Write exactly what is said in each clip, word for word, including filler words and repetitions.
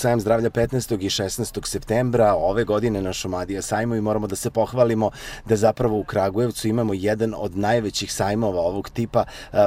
Sajam zdravlja petnaestog i šesnaestog septembra ove godine na Šumadija sajmu i moramo da se pohvalimo da zapravo u Kragujevcu imamo jedan od najvećih sajmova ovog tipa,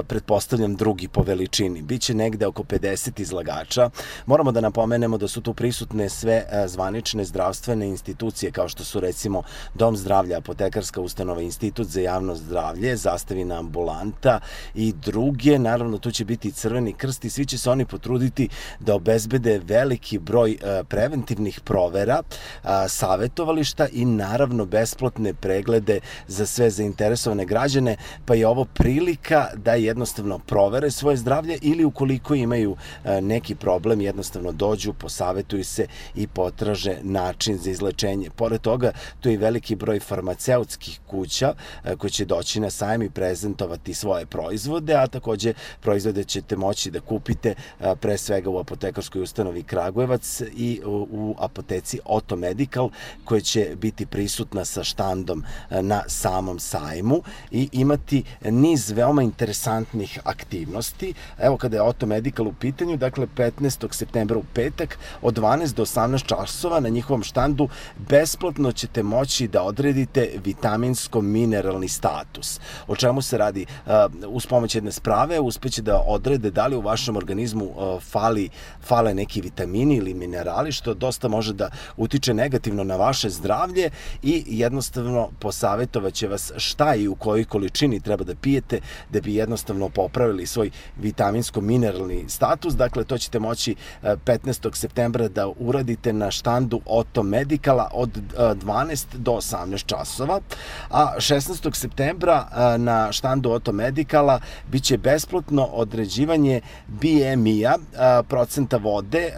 pretpostavljam drugi po veličini. Biće negde oko pedeset izlagača. Moramo da napomenemo da su tu prisutne sve zvanične zdravstvene institucije kao što su recimo Dom zdravlja, Apotekarska ustanova, Institut za javno zdravlje, Zastavina ambulanta i druge. Naravno tu će biti i Crveni krst i svi će se oni potruditi da obezbede veliki broj preventivnih provera, savetovališta i naravno besplatne preglede za sve zainteresovane građane, pa je ovo prilika da jednostavno provere svoje zdravlje ili ukoliko imaju neki problem jednostavno dođu, posavetuju se i potraže način za izlečenje. Pored toga, tu je i veliki broj farmaceutskih kuća koji će doći na sajam i prezentovati svoje proizvode, a takođe proizvode ćete moći da kupite pre svega u Apotekarskoj ustanovi Kragujevac i u apoteci Auto Medical koja će biti prisutna sa štandom na samom sajmu i imati niz veoma interesantnih aktivnosti. Evo kada je Auto Medical u pitanju, dakle petnaestog septembra u petak od dvanaest do osamnaest časova na njihovom štandu besplatno ćete moći da odredite vitaminsko-mineralni status. O čemu se radi? Uz pomoć jedne sprave uspeće da odrede da li u vašem organizmu fali, fale neki vitamini ili minerali, što dosta može da utiče negativno na vaše zdravlje i jednostavno posavetovaće vas šta i u kojoj količini treba da pijete da bi jednostavno popravili svoj vitaminsko-mineralni status. Dakle, to ćete moći petnaestog septembra da uradite na štandu Auto Medicala od dvanaest do osamnaest časova, a šesnaestog septembra na štandu Auto Medicala biće besplatno određivanje B M I-a, procenta vode,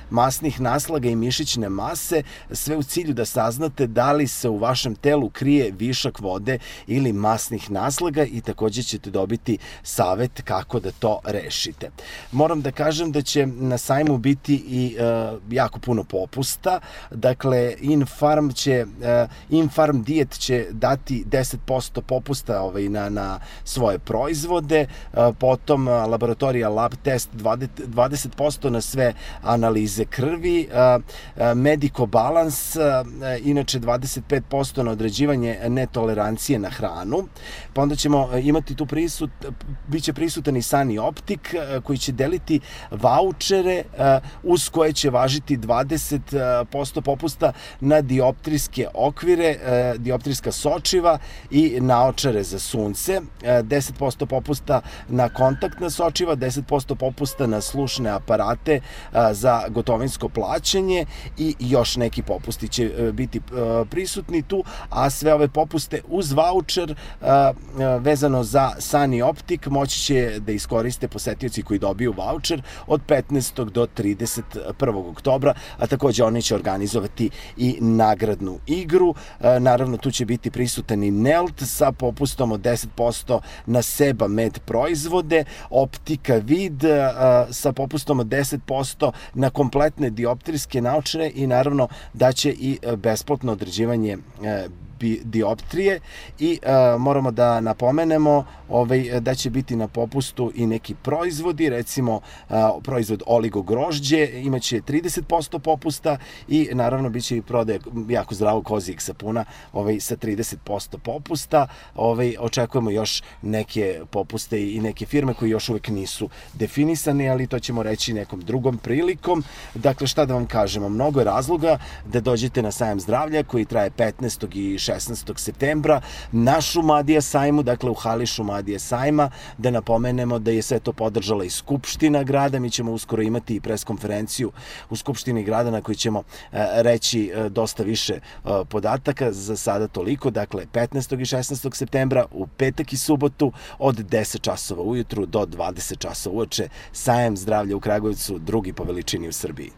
masnih naslaga i mišićne mase, sve u cilju da saznate da li se u vašem telu krije višak vode ili masnih naslaga i takođe ćete dobiti savet kako da to rešite. Moram da kažem da će na sajmu biti i e, jako puno popusta, dakle Infarm će, e, Infarm Diet će dati deset posto popusta ovaj, na, na svoje proizvode, e, potom laboratorija Lab Test dvadeset posto na sve analize krvi, Medico Balance, inače dvadeset pet posto na određivanje netolerancije na hranu, pa onda ćemo imati tu prisut, bit će prisutan i Sani Optik koji će deliti vaučere uz koje će važiti dvadeset posto popusta na dioptrijske okvire, dioptrijska sočiva i naočare za sunce, deset posto popusta na kontaktna sočiva, deset posto popusta na slušne aparate za gotovinsko plaćanje i još neki popusti će biti prisutni tu, a sve ove popuste uz vaučer vezano za Sani Optik moći će da iskoriste posetioci koji dobiju vaučer od petnaestog do trideset prvog oktobra, a takođe oni će organizovati i nagradnu igru. Naravno, tu će biti prisutan i Nelt sa popustom od deset posto na Seba Med proizvode, Optika Vid sa popustom od deset posto na kompletne dioptrijske naočare i naravno da će i besplatno određivanje dioptrije i uh, moramo da napomenemo ovaj, da će biti na popustu i neki proizvodi, recimo uh, proizvod oligo grožđe imaće trideset posto popusta i naravno bit će i prodaje jako zdravog kozijeg sapuna ovaj, sa trideset posto popusta. Ovaj, očekujemo još neke popuste i neke firme koji još uvek nisu definisane, ali to ćemo reći nekom drugom prilikom. Dakle, šta da vam kažemo, mnogo je razloga da dođete na sajam zdravlja koji traje petnaestog i šesnaestog septembra na Šumadija sajmu, dakle u hali Šumadija sajma, da napomenemo da je sve to podržala i Skupština grada. Mi ćemo uskoro imati i preskonferenciju u Skupštini grada na kojoj ćemo reći dosta više podataka, za sada toliko, dakle petnaestog i šesnaestog septembra u petak i subotu od deset časova ujutru do dvadeset časova uveče, sajam zdravlja u Kragujevcu, drugi po veličini u Srbiji.